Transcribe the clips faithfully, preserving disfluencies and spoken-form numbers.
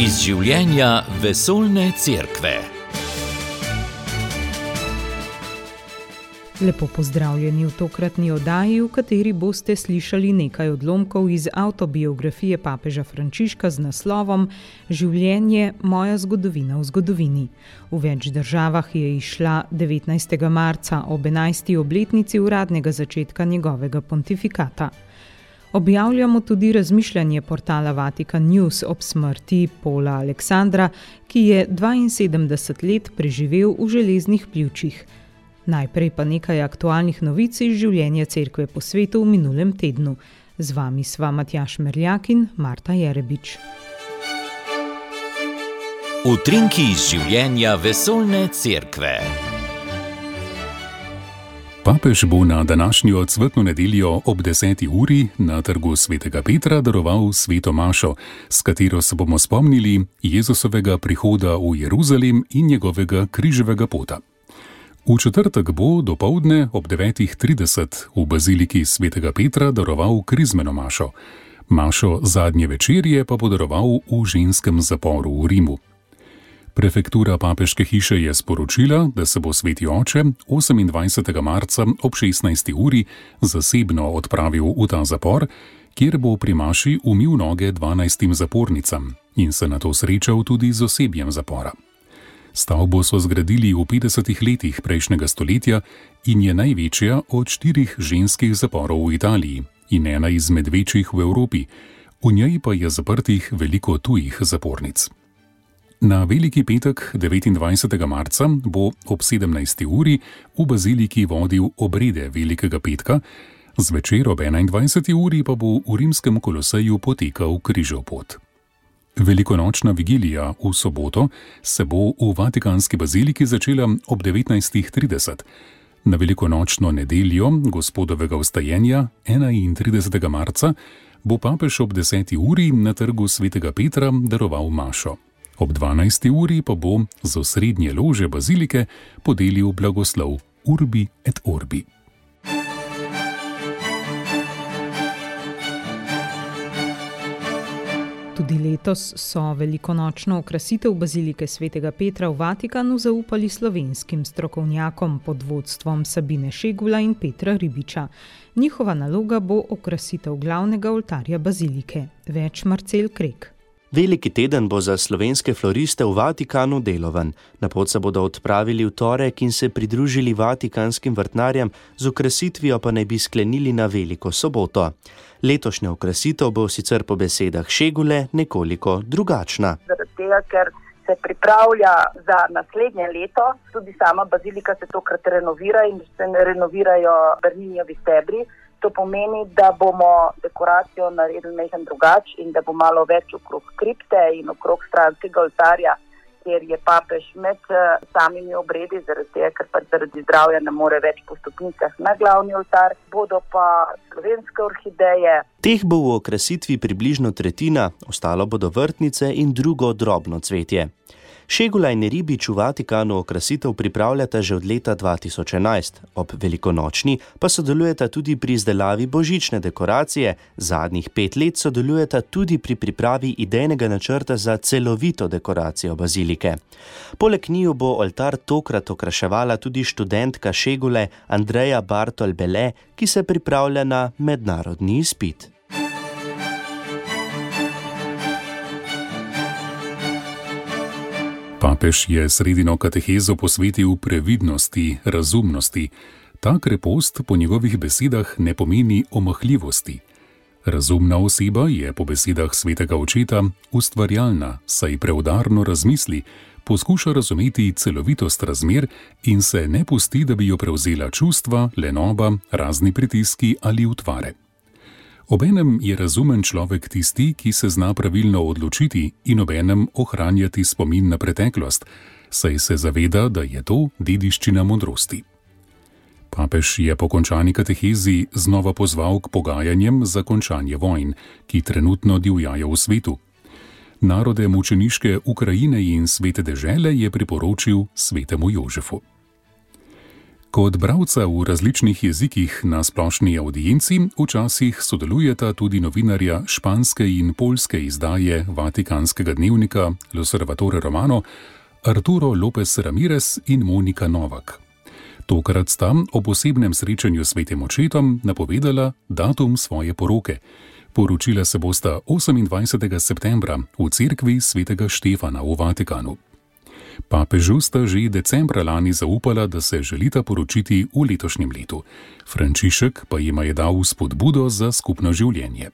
Iz življenja vesoljne cerkve. Lepo pozdravljeni v tokratni oddaji, v kateri boste slišali nekaj odlomkov iz avtobiografije papeža Frančiška z naslovom Življenje, moja zgodovina v zgodovini. V več državah je izšla devetnajstega marca ob enajsti obletnici uradnega začetka njegovega pontifikata. Objavljamo tudi razmišljanje portala Vatikan News ob smrti Pola Aleksandra, ki je dvainsedemdeset let preživel v železnih pljučih. Najprej pa nekaj aktualnih novic iz življenja cerkve po svetu v minulem tednu. Z vami sva Matjaž Merljak in Marta Jerebič. Utrinki iz življenja vesoljne cerkve. Papež bo na današnjo cvetno nedeljo ob deseti uri na trgu svetega Petra daroval sveto mašo, s katero se bomo spomnili Jezusovega prihoda v Jeruzalem in njegovega križevega pota. V četrtek bo dopoldne ob devetih trideset v baziliki svetega Petra daroval krizmeno mašo. Mašo zadnje večerje pa bo daroval v ženskem zaporu v Rimu. Prefektura papeške hiše je sporočila, da se bo sveti oče osemindvajsetega marca ob šestnajsti uri zasebno odpravil v ta zapor, kjer bo pri maši umil noge dvanajstim zapornicam in se nato srečal tudi z osebjem zapora. Stavbo so zgradili v petdesetih letih prejšnjega stoletja in je največja od štirih ženskih zaporov v Italiji in ena izmed večjih v Evropi. V njej pa je zaprtih veliko tujih zapornic. Na veliki petek devetindvajsetega marca bo ob sedemnajsti uri v baziliki vodil obrede velikega petka, zvečer ob enaindvajseti uri pa bo v rimskem koloseju potekal križev pot. Velikonočna vigilija v soboto se bo v Vatikanski baziliki začela ob devetnajstih trideset. Na velikonočno nedeljo gospodovega vstajenja enaintridesetega marca bo papež ob deseti uri na trgu svetega Petra daroval mašo. Ob dvanajsti uri pa bo z osrednje lože bazilike podelil blagoslov Urbi et Orbi. Tudi letos so velikonočno okrasitev bazilike svetega Petra v Vatikanu zaupali slovenskim strokovnjakom pod vodstvom Sabine Šegula in Petra Ribiča. Njihova naloga bo okrasitev glavnega oltarja bazilike. Več Marcel Krek. Veliki teden bo za slovenske floriste v Vatikanu deloven. Na pot se bodo odpravili v torek in se pridružili vatikanskim vrtnarjem, z okrasitvijo pa naj bi sklenili na veliko soboto. Letošnja okrasitev bo sicer po besedah Šegule nekoliko drugačna. Zaradi tega, ker se pripravlja za naslednje leto, tudi sama bazilika se tokrat renovira in se renovirajo Berninijevi stebri. To pomeni, da bomo dekoracijo naredili nekaj drugače in da bo malo več okrog kripte in okrog stranskega oltarja, kjer je papež med samimi obredi, zaradi tega, ker pa zaradi zdravja ne more več po stopnicah na glavni oltar, bodo pa slovenske orhideje. Teh bo v okrasitvi približno tretjina, ostalo bodo vrtnice in drugo drobno cvetje. Šegula in Ribič v Vatikanu okrasitev pripravljata že od leta dva tisoč enajst. Ob velikonočni pa sodelujeta tudi pri izdelavi božične dekoracije, zadnjih pet let sodelujeta tudi pri pripravi idejnega načrta za celovito dekoracijo bazilike. Poleg njiju bo oltar tokrat okraševala tudi študentka Šegule Andreja Bartol-Bele, ki se pripravlja na mednarodni izpit. Papež je sredino katehezo posvetil previdnosti, razumnosti. Ta krepost po njegovih besedah ne pomeni omahljivosti. Razumna oseba je po besedah svetega očeta ustvarjalna, saj preudarno razmisli, poskuša razumeti celovitost razmer in se ne pusti, da bi jo prevzela čustva, lenoba, razni pritiski ali utvare. Obenem je razumen človek tisti, ki se zna pravilno odločiti in obenem ohranjati spomin na preteklost, saj se zaveda, da je to dediščina modrosti. Papež je po končani katehezi znova pozval k pogajanjem za končanje vojn, ki trenutno divjajo v svetu. Narode mučeniške Ukrajine in svete dežele je priporočil svetemu Jožefu. Kot bralca v različnih jezikih na splošni audienci včasih sodelujeta tudi novinarja španske in poljske izdaje vatikanskega dnevnika L'Osservatore Romano Arturo López Ramírez in Monika Novak. Tokrat sta o posebnem srečanju s svetim očetom napovedala datum svoje poroke. Poročila se bosta osemindvajsetega septembra v cerkvi svetega Štefana v Vatikanu. Papežu sta že decembra lani zaupala, da se želita poročiti v letošnjem letu. Frančišek pa jima je dal spodbudo za skupno življenje.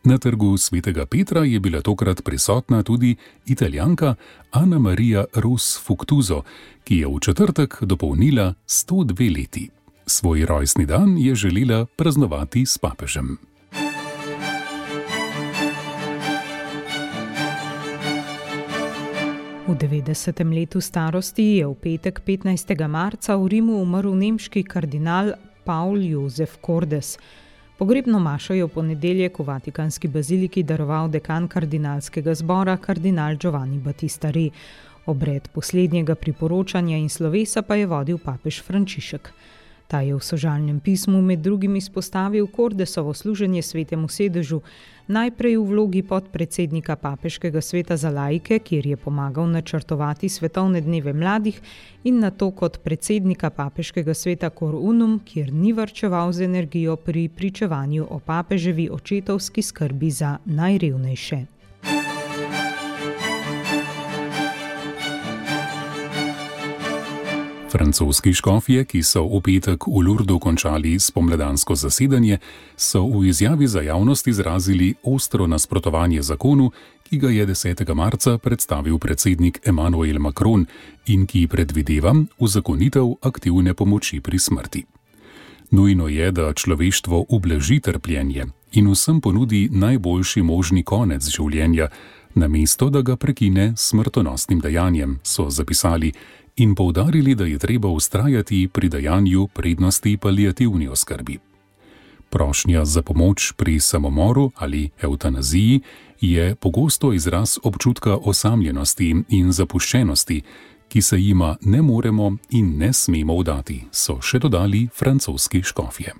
Na trgu svetega Petra je bila tokrat prisotna tudi Italijanka Ana Maria Ros Fuktuzo, ki je v četrtek dopolnila sto dve leti. Svoj rojstni dan je želela praznovati s papežem. V devetdesetem letu starosti je v petek petnajstega marca v Rimu umrl nemški kardinal Paul Josef Kordes. Pogrebno mašo je v ponedeljek v Vatikanski baziliki daroval dekan kardinalskega zbora kardinal Giovanni Battista Re. Obred poslednjega priporočanja in slovesa pa je vodil papež Frančišek. Ta je v sožalnem pismu med drugim izpostavil Kordesovo služenje svetemu sedežu, najprej v vlogi podpredsednika papeškega sveta za laike, kjer je pomagal načrtovati svetovne dneve mladih, in nato kot predsednika papeškega sveta Cor Unum, kjer ni varčeval z energijo pri pričevanju o papeževi očetovski skrbi za najrevnejše. Francoski škofje, ki so v petek v Lourdu končali spomladansko zasedanje, so v izjavi za javnost izrazili ostro nasprotovanje zakonu, ki ga je desetega marca predstavil predsednik Emmanuel Macron in ki predvideva uzakonitev aktivne pomoči pri smrti. Nujno je, da človeštvo ublaži trpljenje in vsem ponudi najboljši možni konec življenja, namesto da ga prekine s smrtonosnim dejanjem, so zapisali in poudarili, da je treba vztrajati pri dajanju prednosti paliativni oskrbi. Prošnja za pomoč pri samomoru ali evtanaziji je pogosto izraz občutka osamljenosti in zapuščenosti, ki se jima ne moremo in ne smemo vdati, so še dodali francoski škofje.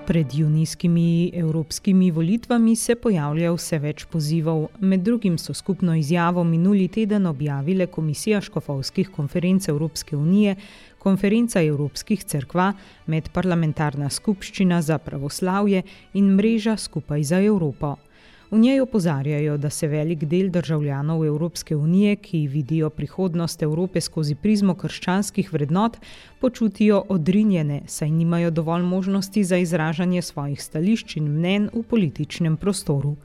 Pred junijskimi evropskimi volitvami se pojavlja vse več pozivov. Med drugim so skupno izjavo minuli teden objavile Komisija škofovskih konferenc Evropske unije, Konferenca evropskih cerkva, Medparlamentarna skupščina za pravoslavje in Mreža Skupaj za Evropo. V njej opozarjajo, da se velik del državljanov Evropske unije, ki vidijo prihodnost Evrope skozi prizmo krščanskih vrednot, počutijo odrinjene, saj nimajo dovolj možnosti za izražanje svojih stališč in mnenj v političnem prostoru.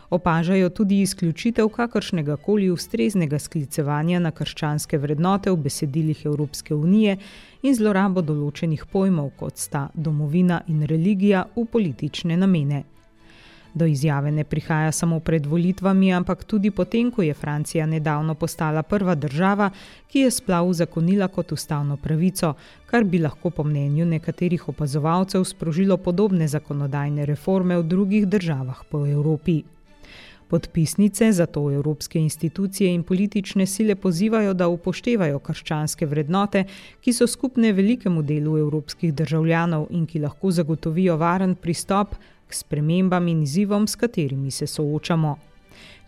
Opažajo tudi izključitev kakršnega koli ustreznega sklicevanja na krščanske vrednote v besedilih Evropske unije in zlorabo določenih pojmov, kot sta domovina in religija, v politične namene. Do izjave ne prihaja samo pred volitvami, ampak tudi potem, ko je Francija nedavno postala prva država, ki je splav uzakonila kot ustavno pravico, kar bi lahko po mnenju nekaterih opazovalcev sprožilo podobne zakonodajne reforme v drugih državah po Evropi. Podpisnice zato evropske institucije in politične sile pozivajo, da upoštevajo krščanske vrednote, ki so skupne velikemu delu evropskih državljanov in ki lahko zagotovijo varen pristop k spremembam in izzivom, s katerimi se soočamo.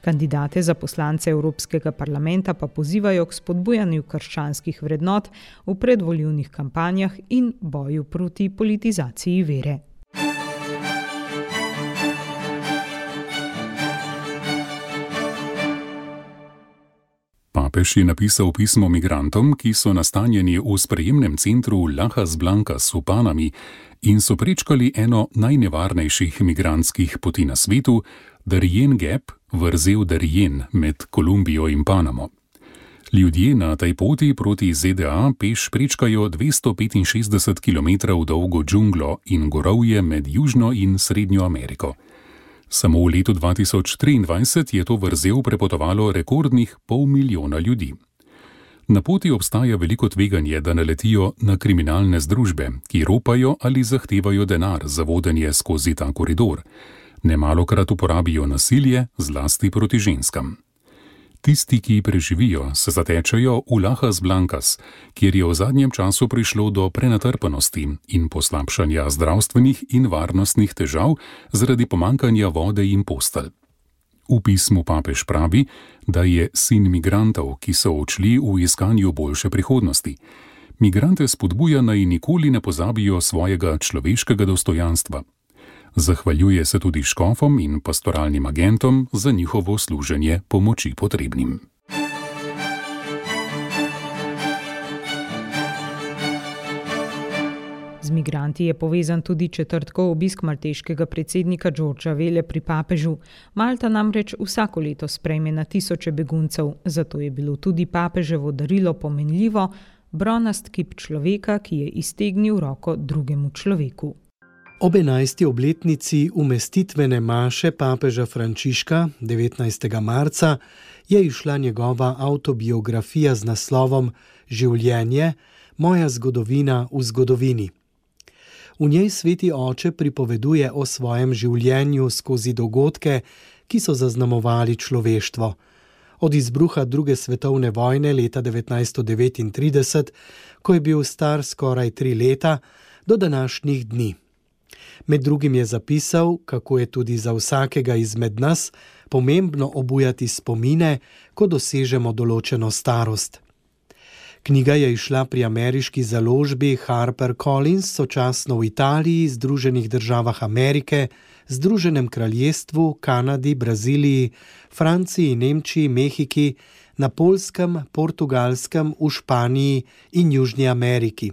Kandidate za poslance Evropskega parlamenta pa pozivajo k spodbujanju krščanskih vrednot v predvolilnih kampanjah in boju proti politizaciji vere. Papež je napisal pismo migrantom, ki so nastanjeni v sprejemnem centru Lajas Blancas v Panami in so prečkali eno najnevarnejših migrantskih poti na svetu, Darien Gap, vrzel Darien med Kolumbijo in Panamo. Ljudje na tej poti proti Z D A peš prečkajo dvesto petinšestdeset kilometrov dolgo džunglo in gorovje med Južno in Srednjo Ameriko. Samo v letu dva tisoč triindvajset je to vrzel prepotovalo rekordnih pol milijona ljudi. Na poti obstaja veliko tveganje, da naletijo na kriminalne združbe, ki ropajo ali zahtevajo denar za vodenje skozi ta koridor. Nemalokrat uporabijo nasilje, zlasti proti ženskam. Tisti, ki preživijo, se zatečajo v Lajas Blancas, kjer je v zadnjem času prišlo do prenatrpanosti in poslabšanja zdravstvenih in varnostnih težav zaradi pomankanja vode in postelj. V pismu papež pravi, da je sin migrantov, ki so odšli v iskanju boljše prihodnosti. Migrante spodbuja, naj nikoli ne pozabijo svojega človeškega dostojanstva. Zahvaljuje se tudi škofom in pastoralnim agentom za njihovo služenje pomoči potrebnim. Z migranti je povezan tudi četrtkov obisk malteškega predsednika Georgea Velle pri papežu. Malta namreč vsako leto sprejme na tisoče beguncev, zato je bilo tudi papeževo darilo pomenljivo, bronast kip človeka, ki je iztegnil roko drugemu človeku. Ob enajsti obletnici umestitvene maše papeža Frančiška devetnajstega marca je izšla njegova avtobiografija z naslovom Življenje, moja zgodovina v zgodovini. V njej sveti oče pripoveduje o svojem življenju skozi dogodke, ki so zaznamovali človeštvo. Od izbruha druge svetovne vojne leta devetnajststo devetintrideset, ko je bil star skoraj tri leta, do današnjih dni. Med drugim je zapisal, kako je tudi za vsakega izmed nas pomembno obujati spomine, ko dosežemo določeno starost. Knjiga je izšla pri ameriški založbi HarperCollins, sočasno v Italiji, Združenih državah Amerike, Združenem kraljestvu, Kanadi, Braziliji, Franciji, Nemčiji, Mehiki, na Poljskem, Portugalskem, v Španiji in Južni Ameriki.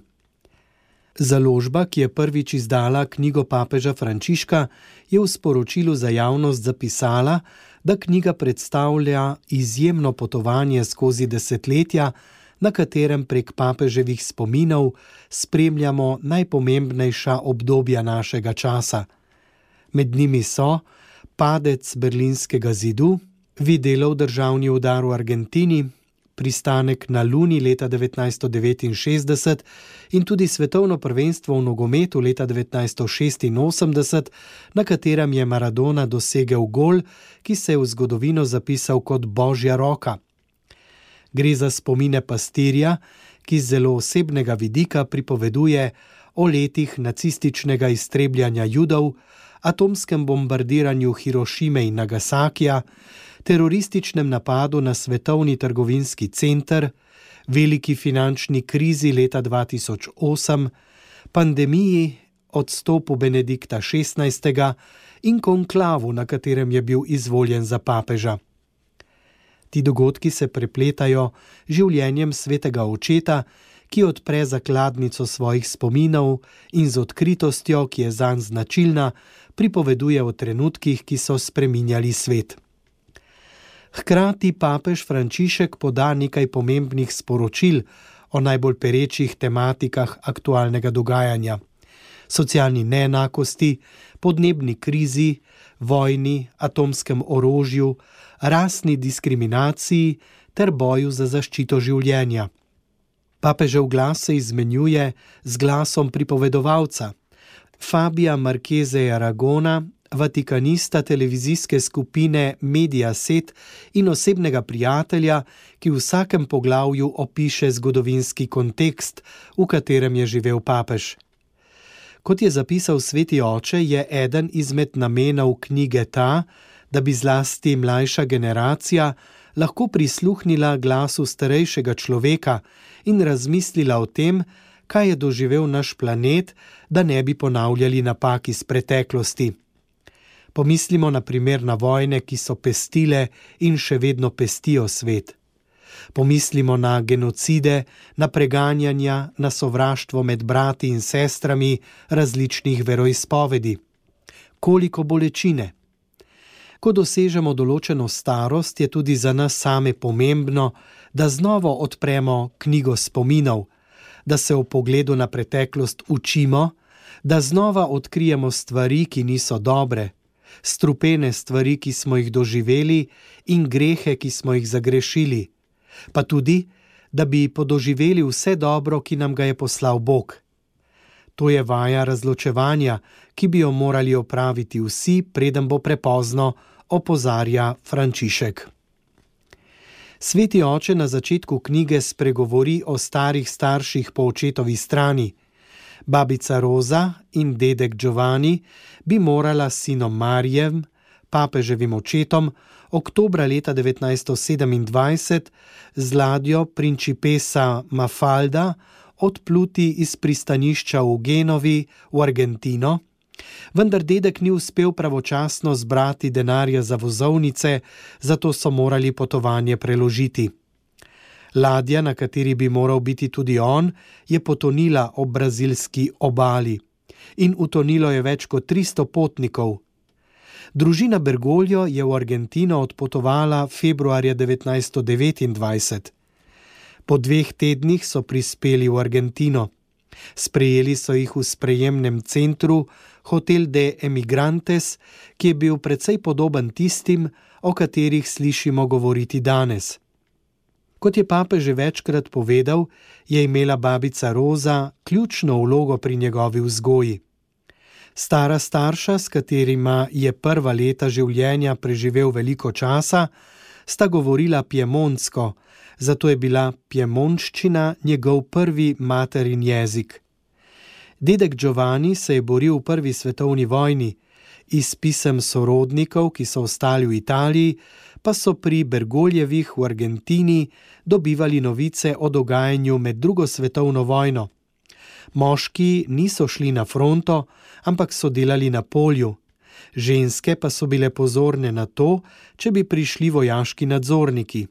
Založba, ki je prvič izdala knjigo papeža Frančiška, je v sporočilu za javnost zapisala, da knjiga predstavlja izjemno potovanje skozi desetletja, na katerem prek papeževih spominov spremljamo najpomembnejša obdobja našega časa. Med njimi so padec Berlinskega zidu, Videlov državni udar v Argentini, pristanek na Luni leta devetnajststo devetinšestdeset in tudi svetovno prvenstvo v nogometu leta devetnajststo šestinosemdeset, na katerem je Maradona dosegel gol, ki se je v zgodovino zapisal kot božja roka. Gre za spomine pastirja, ki z zelo osebnega vidika pripoveduje o letih nacističnega iztrebljanja Judov, atomskem bombardiranju Hirošime in Nagasakija, terorističnem napadu na svetovni trgovinski center, veliki finančni krizi leta dva tisoč osem, pandemiji, odstopu Benedikta šestnajstega in konklavu, na katerem je bil izvoljen za papeža. Ti dogodki se prepletajo življenjem svetega očeta, ki odpre zakladnico svojih spominov in z odkritostjo, ki je zanj značilna, pripoveduje o trenutkih, ki so spreminjali svet. Hkrati papež Frančišek poda nekaj pomembnih sporočil o najbolj perečih tematikah aktualnega dogajanja: socialni neenakosti, podnebni krizi, vojni, atomskem orožju, rasni diskriminaciji ter boju za zaščito življenja. Papežev glas se izmenjuje z glasom pripovedovalca, Fabija Marchese Aragona, vatikanista televizijske skupine Mediaset in osebnega prijatelja, ki v vsakem poglavju opiše zgodovinski kontekst, v katerem je živel papež. Kot je zapisal sveti oče, je eden izmed namenov knjige ta, da bi zlasti mlajša generacija lahko prisluhnila glasu starejšega človeka in razmislila o tem, kaj je doživel naš planet, da ne bi ponavljali napak iz preteklosti. Pomislimo na primer na vojne, ki so pestile in še vedno pestijo svet. Pomislimo na genocide, na preganjanja, na sovraštvo med brati in sestrami različnih veroizpovedi. Koliko bolečine! Ko dosežemo določeno starost, je tudi za nas same pomembno, da znova odpremo knjigo spominov, da se v pogledu na preteklost učimo, da znova odkrijemo stvari, ki niso dobre, strupene stvari, ki smo jih doživeli in grehe, ki smo jih zagrešili, pa tudi, da bi podoživeli vse dobro, ki nam ga je poslal Bog. To je vaja razločevanja, ki bi jo morali opraviti vsi, preden bo prepozno, opozarja Frančišek. Sveti oče na začetku knjige spregovori o starih starših po očetovi strani. Babica Roza in dedek Giovanni bi morala s sinom Marijem, papeževim očetom, oktobra leta devetnajststo sedemindvajset z ladjo Principessa Mafalda odpluti iz pristanišča v Genovi v Argentino, vendar dedek ni uspel pravočasno zbrati denarja za vozovnice, zato so morali potovanje preložiti. Ladja, na kateri bi moral biti tudi on, je potonila ob brazilski obali in utonilo je več kot tristo potnikov. Družina Bergoglio je v Argentino odpotovala februarja devetnajststo devetindvajset. Po dveh tednih so prispeli v Argentino. Sprejeli so jih v sprejemnem centru Hotel de Emigrantes, ki je bil precej podoben tistim, o katerih slišimo govoriti danes. Kot je papež že večkrat povedal, je imela babica Roza ključno vlogo pri njegovi vzgoji. Stara starša, s katerima je prva leta življenja preživel veliko časa, sta govorila piemontsko, zato je bila piemontščina njegov prvi materin jezik. Dedek Giovanni se je boril v prvi svetovni vojni, iz pisem sorodnikov, ki so ostali v Italiji, pa so pri Bergoljevih v Argentini dobivali novice o dogajanju med drugo svetovno vojno. Moški niso šli na fronto, ampak so delali na polju. Ženske pa so bile pozorne na to, če bi prišli vojaški nadzorniki.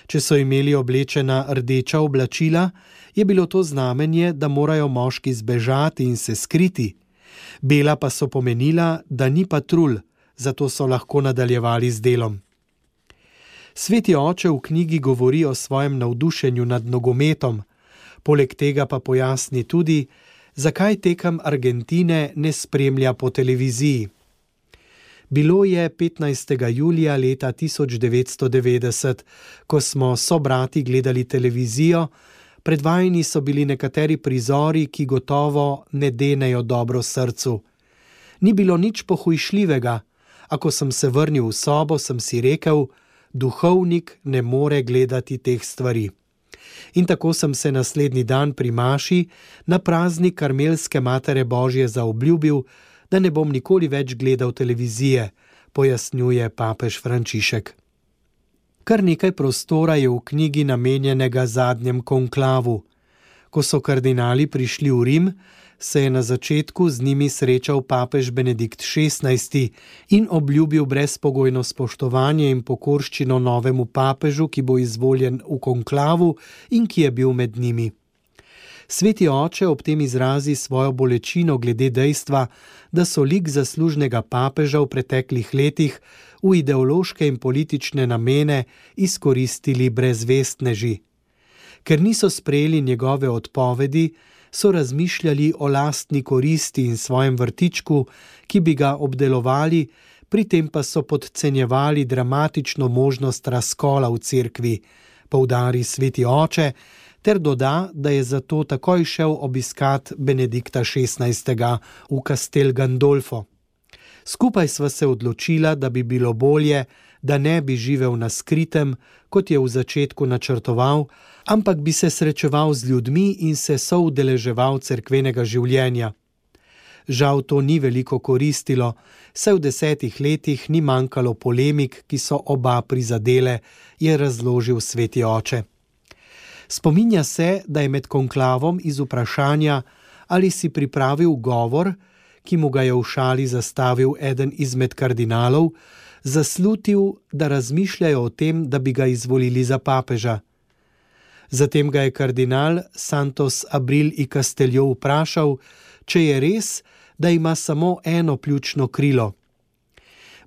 Če so imeli oblečena rdeča oblačila, je bilo to znamenje, da morajo moški zbežati in se skriti. Bela pa so pomenila, da ni patrulj, zato so lahko nadaljevali z delom. Sveti oče v knjigi govori o svojem navdušenju nad nogometom, poleg tega pa pojasni tudi, zakaj tekem Argentine ne spremlja po televiziji. Bilo je petnajstega julija leta tisoč devetsto devetdeset, ko smo sobrati gledali televizijo, predvajani so bili nekateri prizori, ki gotovo ne denejo dobro srcu. Ni bilo nič pohujšljivega, a ko sem se vrnil v sobo, sem si rekel, duhovnik ne more gledati teh stvari. In tako sem se naslednji dan pri maši na praznik Karmelske Matere Božje zaobljubil, da ne bom nikoli več gledal televizije, pojasnjuje papež Frančišek. Kar nekaj prostora je v knjigi namenjenega zadnjem konklavu. Ko so kardinali prišli v Rim, se je na začetku z njimi srečal papež Benedikt šestnajsti in obljubil brezpogojno spoštovanje in pokorščino novemu papežu, ki bo izvoljen v konklavu in ki je bil med njimi. Sveti oče ob tem izrazi svojo bolečino glede dejstva, da so lik zaslužnega papeža v preteklih letih v ideološke in politične namene izkoristili brezvestneži. Ker niso sprejeli njegove odpovedi, so razmišljali o lastni koristi in svojem vrtičku, ki bi ga obdelovali, pri tem pa so podcenjevali dramatično možnost razkola v cerkvi, poudari sveti oče, ter doda, da je zato takoj šel obiskat Benedikta šestnajstega v Castel Gandolfo. Skupaj sva se odločila, da bi bilo bolje, da ne bi živel na skritem, kot je v začetku načrtoval, ampak bi se srečeval z ljudmi in se soudeleževal cerkvenega življenja. Žal to ni veliko koristilo, saj v desetih letih ni manjkalo polemik, ki so oba prizadele, je razložil sveti oče. Spominja se, da je med konklavom iz vprašanja, ali si pripravil govor, ki mu ga je v šali zastavil eden izmed kardinalov, zaslutil, da razmišljajo o tem, da bi ga izvolili za papeža. Zatem ga je kardinal Santos Abril y Castelló vprašal, če je res, da ima samo eno pljučno krilo.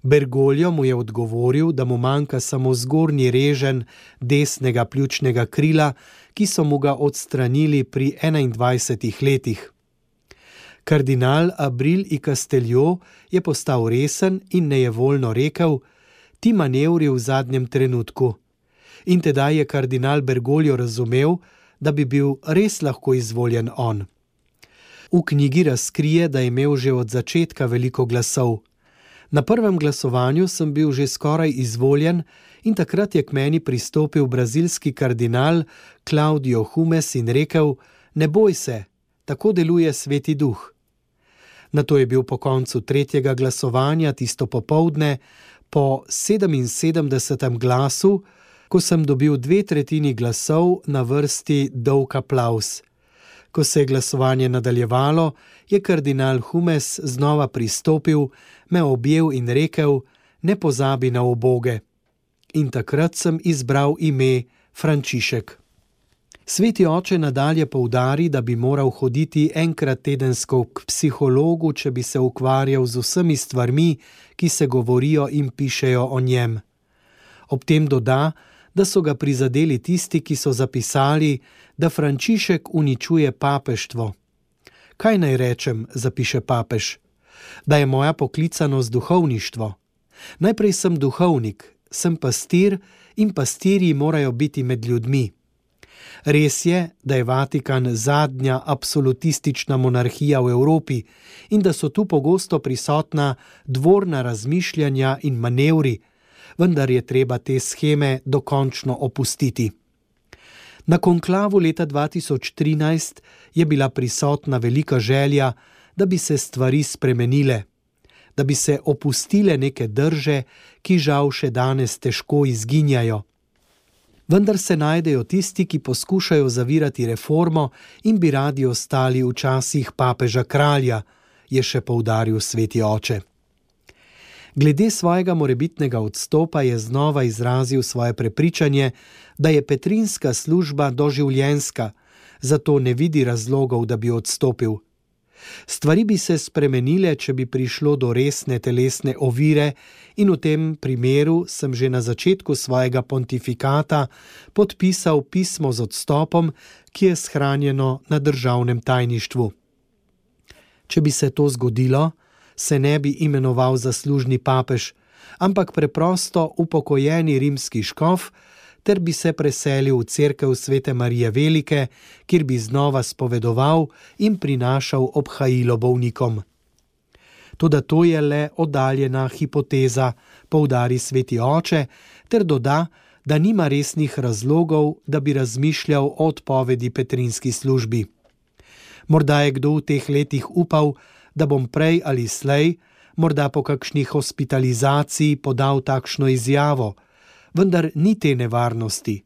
Bergoglio mu je odgovoril, da mu manjka samo zgornji reženj desnega pljučnega krila, ki so mu ga odstranili pri enaindvajsetih letih. Kardinal Abril y Castelló je postal resen in nejevoljno rekel, ti manevri v zadnjem trenutku. In tedaj je kardinal Bergoglio razumel, da bi bil res lahko izvoljen on. V knjigi razkrije, da je imel že od začetka veliko glasov. Na prvem glasovanju sem bil že skoraj izvoljen In takrat je k meni pristopil brazilski kardinal Claudio Humes in rekel: ne boj se, tako deluje Sveti Duh. Nato je bil po koncu tretjega glasovanja tisto popoldne, po sedeminsedemdesetem glasu, ko sem dobil dve tretjini glasov, na vrsti dolg aplavz. Ko se je glasovanje nadaljevalo, je kardinal Humes znova pristopil, me objel in rekel: ne pozabi na uboge. In takrat sem izbral ime Frančišek. Sveti oče nadalje poudari, da bi moral hoditi enkrat tedensko k psihologu, če bi se ukvarjal z vsemi stvarmi, ki se govorijo in pišejo o njem. Ob tem doda, da so ga prizadeli tisti, ki so zapisali, da Frančišek uničuje papeštvo. Kaj naj rečem, zapiše papež, da je moja poklicanost duhovništvo. Najprej sem duhovnik, sem pastir in pastirji morajo biti med ljudmi. Res je, da je Vatikan zadnja absolutistična monarhija v Evropi in da so tu pogosto prisotna dvorna razmišljanja in manevri, vendar je treba te sheme dokončno opustiti. Na konklavu leta dva tisoč trinajst je bila prisotna velika želja, da bi se stvari spremenile, da bi se opustile neke drže, ki žal še danes težko izginjajo. Vendar se najdejo tisti, ki poskušajo zavirati reformo in bi radi ostali v časih papeža kralja, je še poudaril sveti oče. Glede svojega morebitnega odstopa je znova izrazil svoje prepričanje, da je petrinska služba doživljenjska, zato ne vidi razlogov, da bi odstopil. Stvari bi se spremenile, če bi prišlo do resne telesne ovire, in v tem primeru sem že na začetku svojega pontifikata podpisal pismo z odstopom, ki je shranjeno na državnem tajništvu. Če bi se to zgodilo, se ne bi imenoval zaslužni papež, ampak preprosto upokojeni rimski škof, ter bi se preselil v cerkev Svete Marije Velike, kjer bi znova spovedoval in prinašal obhajilo bolnikom. Toda to je le oddaljena hipoteza, poudari sveti oče, ter doda, da nima resnih razlogov, da bi razmišljal o odpovedi petrinski službi. Morda je kdo v teh letih upal, da bom prej ali slej, morda po kakšni hospitalizaciji podal takšno izjavo, vendar ni te nevarnosti.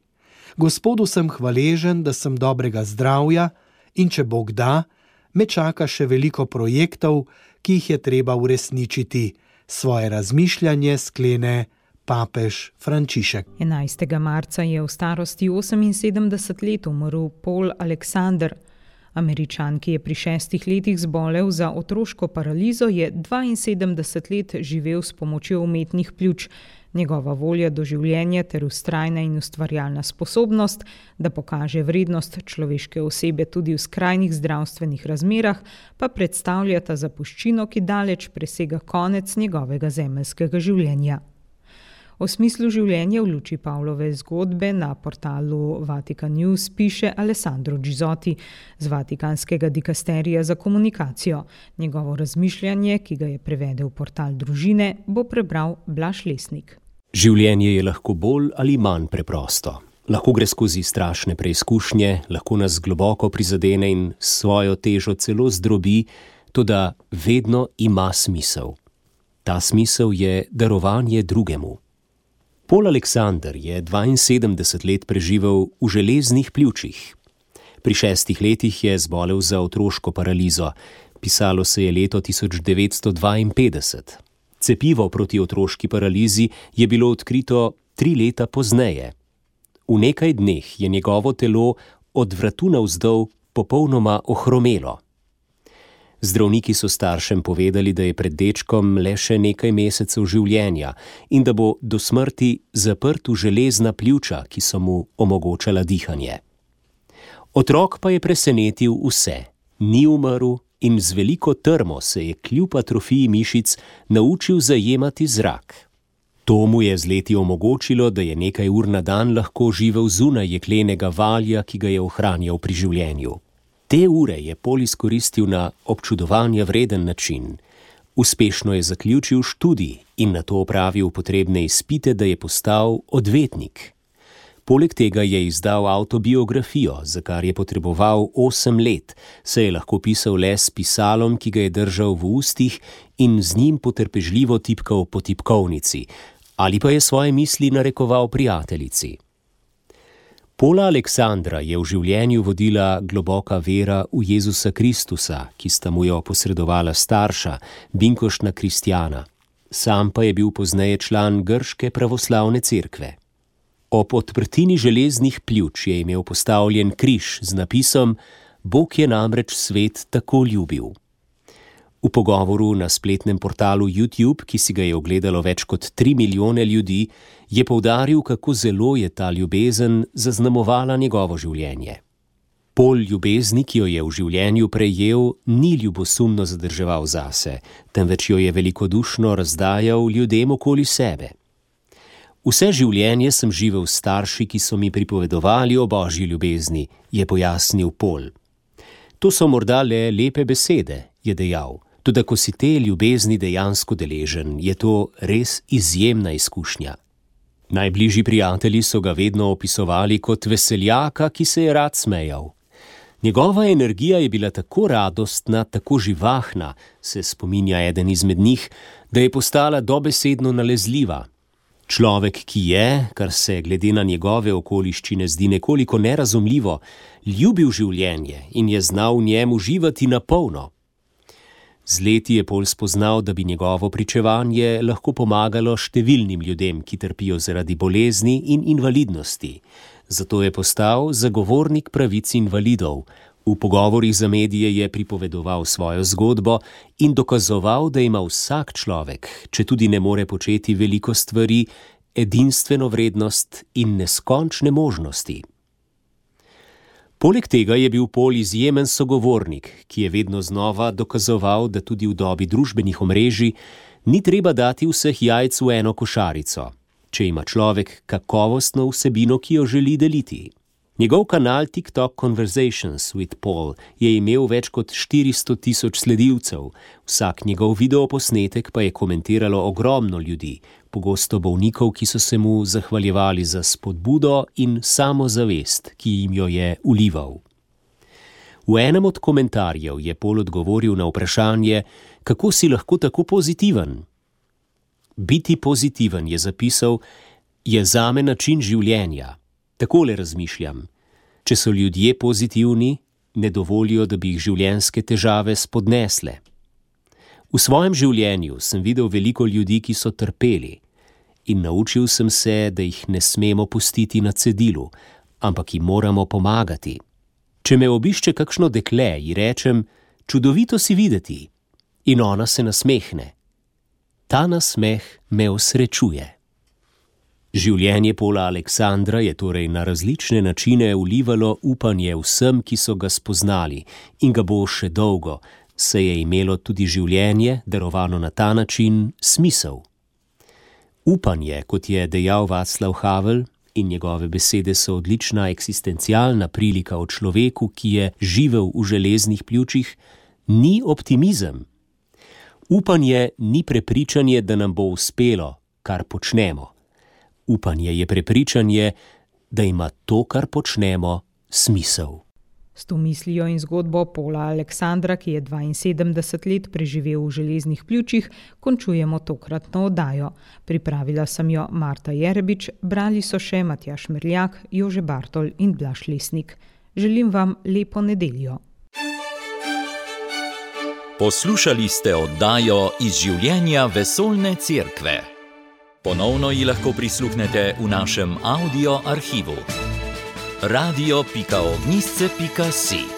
Gospodu sem hvaležen, da sem dobrega zdravja in če Bog da, me čaka še veliko projektov, ki jih je treba uresničiti. Svoje razmišljanje sklene papež Frančišek. enajstega marca je v starosti oseminsedemdeset let umrl Paul Alexander. Američan, ki je pri šestih letih zbolel za otroško paralizo, je dvainsedemdeset let živel s pomočjo umetnih pljuč. Njegova volja do življenja ter vztrajna in ustvarjalna sposobnost, da pokaže vrednost človeške osebe tudi v skrajnih zdravstvenih razmerah, pa predstavljata zapuščino, ki daleč presega konec njegovega zemeljskega življenja. O smislu življenja v luči Pavlove zgodbe na portalu Vatican News piše Alessandro Gizotti z Vatikanskega dikasterija za komunikacijo. Njegovo razmišljanje, ki ga je prevedel v portal Družine, bo prebral Blaž Lesnik. Življenje je lahko bolj ali manj preprosto. Lahko gre skozi strašne preizkušnje, lahko nas globoko prizadene in svojo težo celo zdrobi, toda vedno ima smisel. Ta smisel je darovanje drugemu. Paul Alexander je dvainsedemdeset let preživel v železnih pljučih. Pri šestih letih je zbolel za otroško paralizo. Pisalo se je leto tisoč devetsto dvainpetdeset. Cepivo proti otroški paralizi je bilo odkrito tri leta pozneje. V nekaj dneh je njegovo telo od vratu navzdol popolnoma ohromelo. Zdravniki so staršem povedali, da je pred dečkom le še nekaj mesecev življenja in da bo do smrti zaprt v železna pljuča, ki so mu omogočala dihanje. Otrok pa je presenetil vse, ni umrl in z veliko trmo se je kljub atrofiji mišic naučil zajemati zrak. To mu je z leti omogočilo, da je nekaj ur na dan lahko živel zunaj jeklenega valja, ki ga je ohranjal pri življenju. Te ure je Paul izkoristil na občudovanja vreden način. Uspešno je zaključil študij in nato opravil potrebne izpite, da je postal odvetnik. Poleg tega je izdal avtobiografijo, za kar je potreboval osem let, saj je lahko pisal le s pisalom, ki ga je držal v ustih in z njim potrpežljivo tipkal po tipkovnici, ali pa je svoje misli narekoval prijateljici. Paula Aleksandra je v življenju vodila globoka vera v Jezusa Kristusa, ki sta mu jo posredovala starša, binkoštna kristjana. Sam pa je bil pozneje član grške pravoslavne cerkve. Ob odprtini železnih pljuč je imel postavljen križ z napisom Bog je namreč svet tako ljubil. V pogovoru na spletnem portalu YouTube, ki si ga je ogledalo več kot tri milijone ljudi, je poudaril, kako zelo je ta ljubezen zaznamovala njegovo življenje. Pol ljubezni, ki jo je v življenju prejel, ni ljubosumno zadrževal zase, temveč jo je velikodušno razdajal ljudem okoli sebe. Vse življenje sem živel s starši, ki so mi pripovedovali o božji ljubezni, je pojasnil Pol. To so morda le lepe besede, je dejal, toda ko si te ljubezni dejansko deležen, je to res izjemna izkušnja. Najbližji prijatelji so ga vedno opisovali kot veseljaka, ki se je rad smejal. Njegova energija je bila tako radostna, tako živahna, se spominja eden izmed njih, da je postala dobesedno nalezljiva. Človek, ki je, kar se glede na njegove okoliščine zdi nekoliko nerazumljivo, ljubil življenje in je znal v njem uživati na polno. Z leti je Pol spoznal, da bi njegovo pričevanje lahko pomagalo številnim ljudem, ki trpijo zaradi bolezni in invalidnosti. Zato je postal zagovornik pravic invalidov. V pogovorih za medije je pripovedoval svojo zgodbo in dokazoval, da ima vsak človek, če tudi ne more početi veliko stvari, edinstveno vrednost in neskončne možnosti. Poleg tega je bil Pol izjemen sogovornik, ki je vedno znova dokazoval, da tudi v dobi družbenih omrežij ni treba dati vseh jajc v eno košarico, če ima človek kakovostno vsebino, ki jo želi deliti. Njegov kanal TikTok Conversations with Paul je imel več kot štiristo tisoč sledilcev, vsak njegov videoposnetek pa je komentiralo ogromno ljudi, pogosto bolnikov, ki so se mu zahvaljevali za spodbudo in samozavest, ki jim jo je vlival. V enem od komentarjev je Paul odgovoril na vprašanje, kako si lahko tako pozitiven. Biti pozitiven, je zapisal, je zame način življenja. Takole razmišljam. Če so ljudje pozitivni, ne dovolijo, da bi jih življenjske težave spodnesle. V svojem življenju sem videl veliko ljudi, ki so trpeli, in naučil sem se, da jih ne smemo pustiti na cedilu, ampak jim moramo pomagati. Če me obišče kakšno dekle, ji rečem, čudovito si videti, in ona se nasmehne. Ta nasmeh me osrečuje. Življenje Paula Aleksandra je torej na različne načine vlivalo upanje vsem, ki so ga spoznali, in ga bo še dolgo, saj je imelo tudi življenje, darovano na ta način, smisel. Upanje, kot je dejal Václav Havel, in njegove besede so odlična eksistencialna prilika o človeku, ki je živel v železnih pljučih, ni optimizem. Upanje ni prepričanje, da nam bo uspelo, kar počnemo. Upanje je prepričanje, da ima to, kar počnemo, smisel. S to mislijo in zgodbo Paula Aleksandra, ki je dvainsedemdeset let preživel v železnih pljučih, končujemo tokratno oddajo. Pripravila sem jo Marta Jerebič, brali so še Matjaž Merljak, Jože Bartol in Blaž Lesnik. Želim vam lepo nedeljo. Poslušali ste oddajo Iz življenja vesoljne cerkve. Ponovno ji lahko prisluhnete v našem audio arhivu. radio pika ognjišče pika si